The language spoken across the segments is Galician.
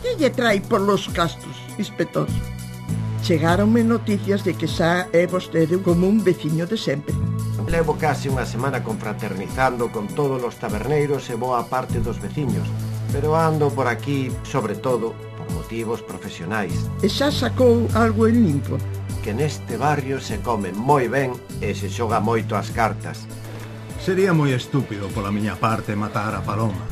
Que lle trai polos castros, inspector? Chegáronme noticias de que xa é vostede como un veciño de sempre. Levo case unha semana confraternizando con todos os taberneiros e boa parte dos veciños, pero ando por aquí, sobre todo, por motivos profesionais. E xa sacou algo en limpo? Que neste barrio se come moi ben e se xoga moito as cartas. Sería moi estúpido pola miña parte matar a Paloma,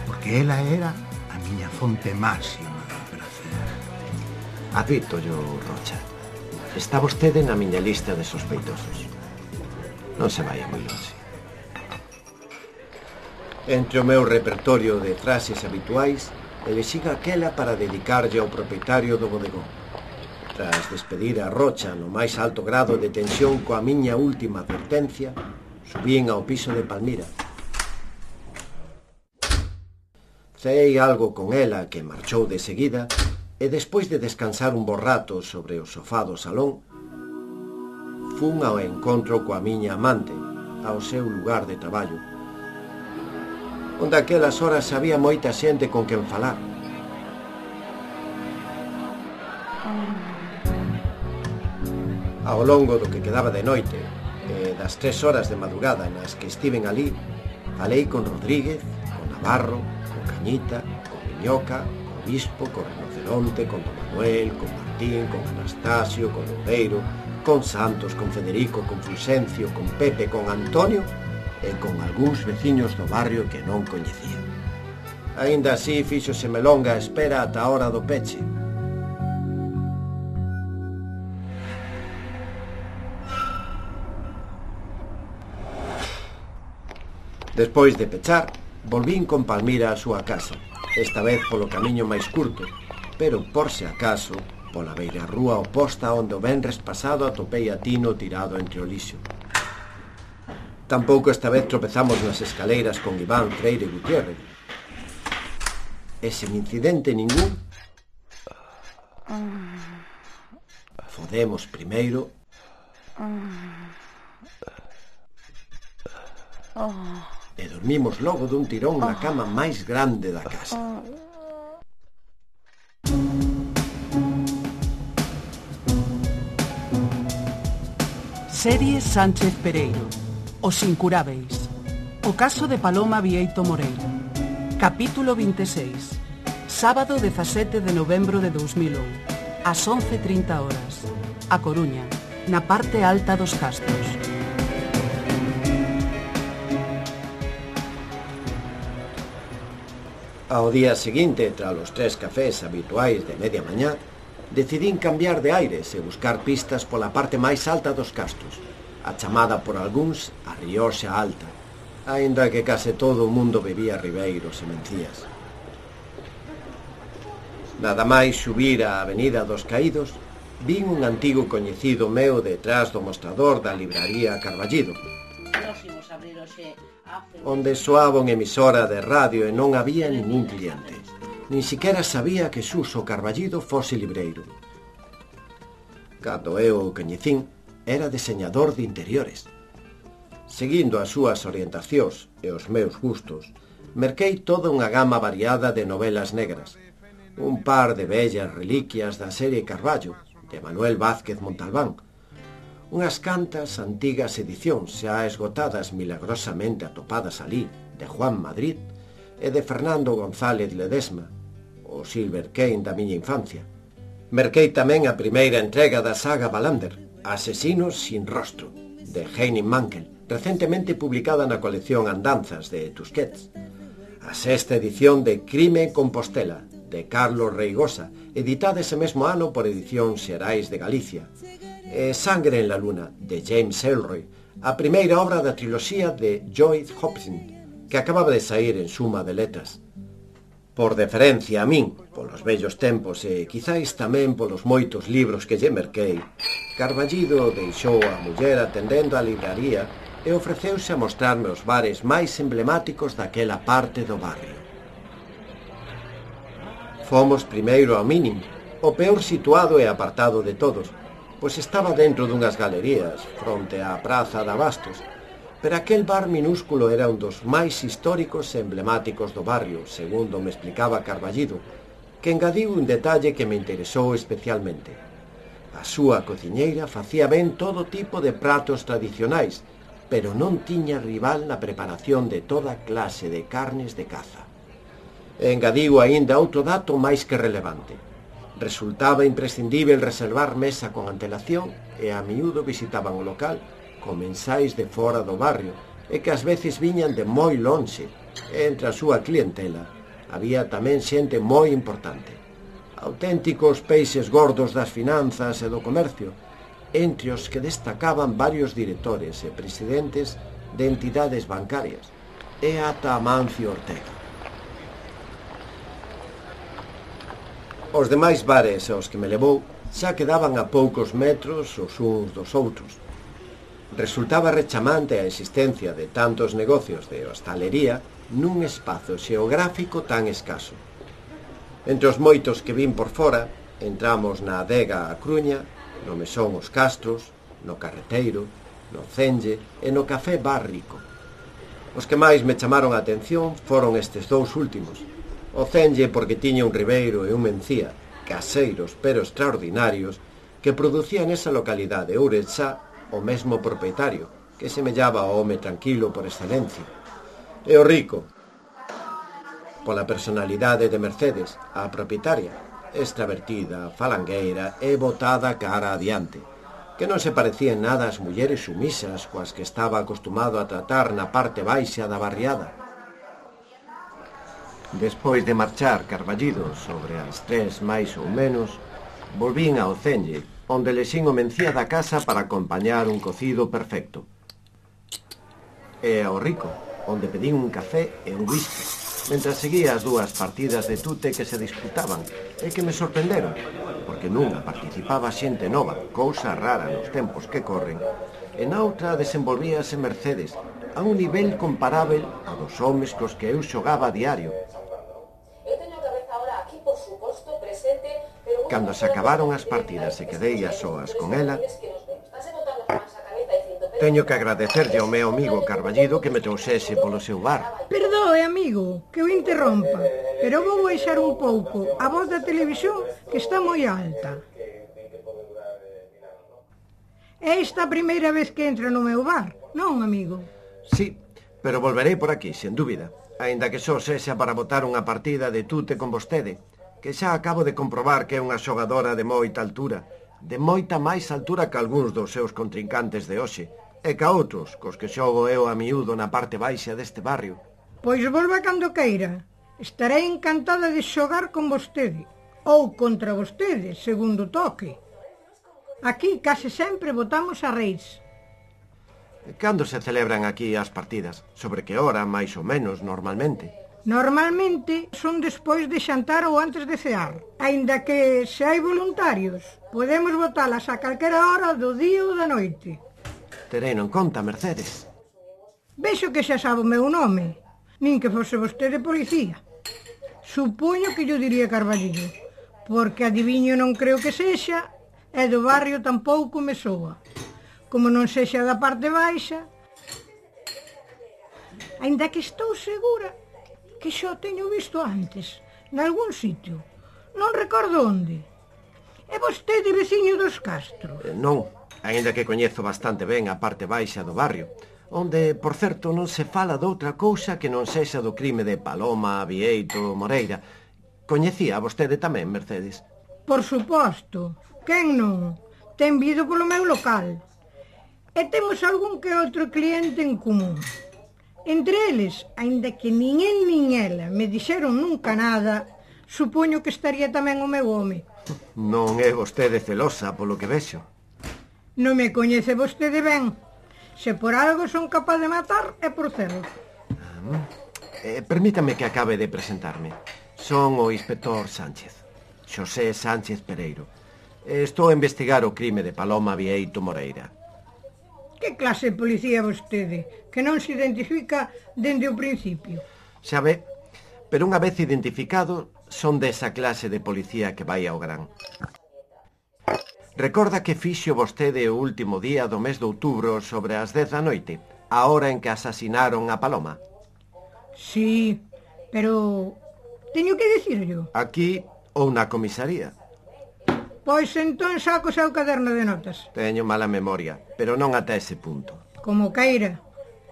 porque ela era a miña fonte máxima de prazer. Advítollo, Rocha. Está vostede na miña lista de sospeitosos. Non se vai moi longe. Entre o meu repertorio de frases habituais, elexín aquela para dedicarlle ao propietario do bodegón. Tras despedir a Rocha no máis alto grado de tensión coa miña última advertencia, subín ao piso de Palmira. Ceei algo con ela que marchou de seguida e despois de descansar un bo rato sobre o sofá do salón, fun ao encontro coa miña amante, ao seu lugar de traballo, onde aquelas horas había moita xente con quen falar. Ao longo do que quedaba de noite e das 3 horas de madrugada nas que estiven ali, falei con Rodríguez, con Navarro, con Cañita, con Miñoca, con Bispo, con Rinoceronte, con Don Manuel, con Martín, con Anastasio, con Loureiro, con Santos, con Federico, con Fulgencio, con Pepe, con Antonio e con algúns veciños do barrio que non coñecía. Aínda así fíxoseme longa a espera ata a hora do peche. Despois de pechar, volvín con Palmira á súa casa, esta vez polo camiño máis curto, pero por se acaso, pola beira rúa oposta onde o venres pasado atopei a Tino tirado entre o lixo. Tampouco esta vez tropezamos nas escaleiras con Iván Freire Gutiérrez. E sen incidente ningún, fodemos primeiro e dormimos logo dun tirón na cama máis grande da casa. Serie Sánchez Pereiro, Os Incurábeis. O caso de Paloma Bieito Moreira. Capítulo 26. Sábado 17 de novembro de 2001, ás 11:30 horas. A Coruña, na parte alta dos Castros. Ao día seguinte, tras os 3 cafés habituais de media mañá, decidín cambiar de aires e buscar pistas pola parte máis alta dos Castros, a chamada por algúns a Rioxa Alta, aínda que case todo o mundo bebía ribeiros e mencías. Nada máis subir a Avenida dos Caídos, vin un antigo coñecido meu detrás do mostrador da libraría Carballido, onde soaba unha emisora de radio e non había ningún cliente. Nin siquiera sabía que Suso Carballido fose libreiro. Cando eu o coñecín, era deseñador de interiores. Seguindo as súas orientacións e os meus gustos, merquei toda unha gama variada de novelas negras, un par de bellas reliquias da serie Carballo, de Manuel Vázquez Montalbán, unhas cantas antigas edicións xa esgotadas milagrosamente atopadas alí, de Juan Madrid e de Fernando González Ledesma, o Silver Kane da miña infancia. Merquei tamén a primeira entrega da saga Wallander, Asesinos sin rostro, de Henning Mankell, recentemente publicada na colección Andanzas de Tusquets, a 6ª edición de Crime en Compostela, de Carlos Reigosa, editada ese mesmo ano por Edicións Xerais de Galicia, e Sangre en la Luna, de James Ellroy, a primeira obra da triloxía de Joyce Hobson, que acababa de sair en Suma de Letras. Por deferencia a min, polos vellos tempos e quizáis tamén polos moitos libros que lle merquei, Carballido deixou a muller atendendo a libraría e ofreceuse a mostrarme os bares máis emblemáticos daquela parte do barrio. Fomos primeiro ao Mínimo, o peor situado e apartado de todos, pois estaba dentro dunhas galerías, fronte á Praza de Abastos, pero aquel bar minúsculo era un dos máis históricos e emblemáticos do barrio, segundo me explicaba Carballido, que engadiu un detalle que me interesou especialmente. A súa cociñeira facía ben todo tipo de pratos tradicionais, pero non tiña rival na preparación de toda clase de carnes de caza. Engadiu aínda outro dato máis que relevante. Resultaba imprescindível reservar mesa con antelación e a miúdo visitaban o local comensais de fora do barrio e que ás veces viñan de moi lonxe. Entre a súa clientela había tamén xente moi importante. Auténticos peixes gordos das finanzas e do comercio, entre os que destacaban varios directores e presidentes de entidades bancarias, e ata Amancio Ortega. Os demais bares aos que me levou xa quedaban a poucos metros os uns dos outros. Resultaba rechamante a existencia de tantos negocios de hostalería nun espazo xeográfico tan escaso. Entre os moitos que vin por fora, entramos na adega A Cruña, no mesón Os Castros, no Carreteiro, no Cenge e no Café Bar Rico. Os que máis me chamaron a atención foron estes dous últimos. O Cenge porque tiña un ribeiro e un mencía, caseiros pero extraordinarios, que producía nesa localidade Ourensá o mesmo propietario, que semellaba ao home tranquilo por excelencia. E o Rico, pola personalidade de Mercedes, a propietaria, extravertida, falangueira e botada cara adiante, que non se parecía en nada ás mulleres sumisas coas que estaba acostumado a tratar na parte baixa da barriada. Despois de marchar carballido sobre as 3 máis ou menos, volvín ao Cenge, onde lexín o mencía da casa para acompañar un cocido perfecto. E ao Rico, onde pedín un café e un whisky, mentras seguía as dúas partidas de tute que se disputaban e que me sorprenderon, porque nunha participaba xente nova, cousa rara nos tempos que corren, e na outra desenvolvíase Mercedes a un nivel comparável a dos homes cos que eu xogaba a diario. Cando se acabaron as partidas e quedei a soas con ela, teño que agradecerlle ao meu amigo Carballido que me trouxese polo seu bar. Perdoe, amigo, que o interrompa, pero vou baixar un pouco a voz da televisión que está moi alta. É esta a primeira vez que entra no meu bar, non, amigo? Sí, pero volverei por aquí, sen dúbida, aínda que só sexa para botar unha partida de tute con vostede, que xa acabo de comprobar que é unha xogadora de moita altura, de moita máis altura que algúns dos seus contrincantes de hoxe, e que a outros, cos que xogo eu a miúdo na parte baixa deste barrio. Pois volva cando queira. Estarei encantada de xogar con vostede, ou contra vostede, segundo toque. Aquí case sempre votamos a reis. Cando se celebran aquí as partidas? Sobre que hora, máis ou menos, normalmente? Normalmente son despois de xantar ou antes de cear. Aínda que, se hai voluntarios, podemos votalas a calquera hora do día ou da noite. Terei en conta, Mercedes. Vexo que xa sabe o meu nome, nin que fose vostede policía. Supoño que yo diría Carballido, porque adiviño non creo que sexa, e do barrio tampouco me soa. Como non sexa da parte baixa, aínda que estou segura que xa o teño visto antes, nalgún sitio. Non recordo onde. É vostede veciño dos Castros? Non, aínda que coñezo bastante ben a parte baixa do barrio, onde, por certo, non se fala doutra cousa que non sexa do crime de Paloma, Bieito, Moreira. Coñecía vostede tamén, Mercedes? Por suposto. Quen non? Ten vido polo meu local. E temos algún que outro cliente en común. Entre eles, aínda que nin el nin ela me dixeron nunca nada, supoño que estaría tamén o meu home. Non é vostede celosa, polo que vexo. Non me coñece vostede ben. Se por algo son capaz de matar, é por celos. Permítame que acabe de presentarme. Son o inspector Sánchez, Xosé Sánchez Pereiro. Estou a investigar o crime de Paloma Bieito Moreira. Que clase de policía vostede, que non se identifica dende o principio? Xa ve, pero unha vez identificado, son desa clase de policía que vai ao gran. Recorda que fixo vostede o último día do mes de outubro sobre as 10 da noite, a hora en que asasinaron a Paloma? Sí, pero teño que dicirlo. Aquí Ou na comisaría. Pois entón saco o seu caderno de notas. Teño mala memoria, pero non ata ese punto. Como queira.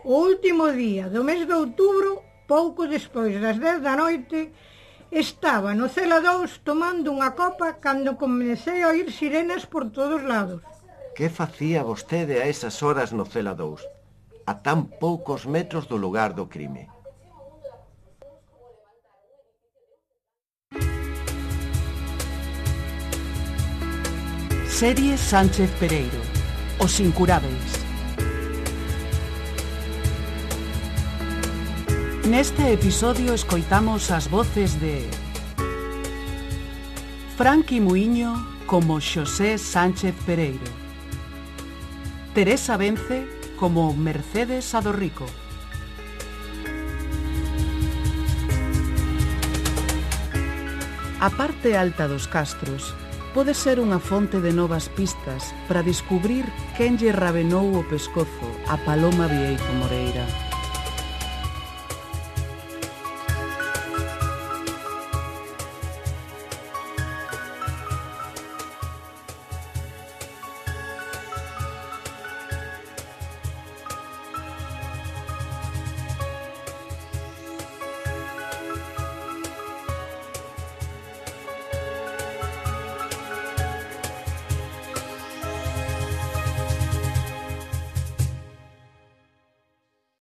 O último día do mes de outubro, pouco despois das 10 da noite, estaba no Cela 2 tomando unha copa cando comecei a oír sirenas por todos lados. Que facía vostede a esas horas no Cela 2, a tan poucos metros do lugar do crime? Serie Sánchez Pereiro, Os Incurábeis. Neste episodio escoitamos as voces de Franqui Muiño como Xosé Sánchez Pereiro, Teresa Vence como Mercedes Adorrico, a parte alta dos castros pode ser unha fonte de novas pistas para descubrir quen lle rabenou o pescozo a Paloma Vieito Moreira.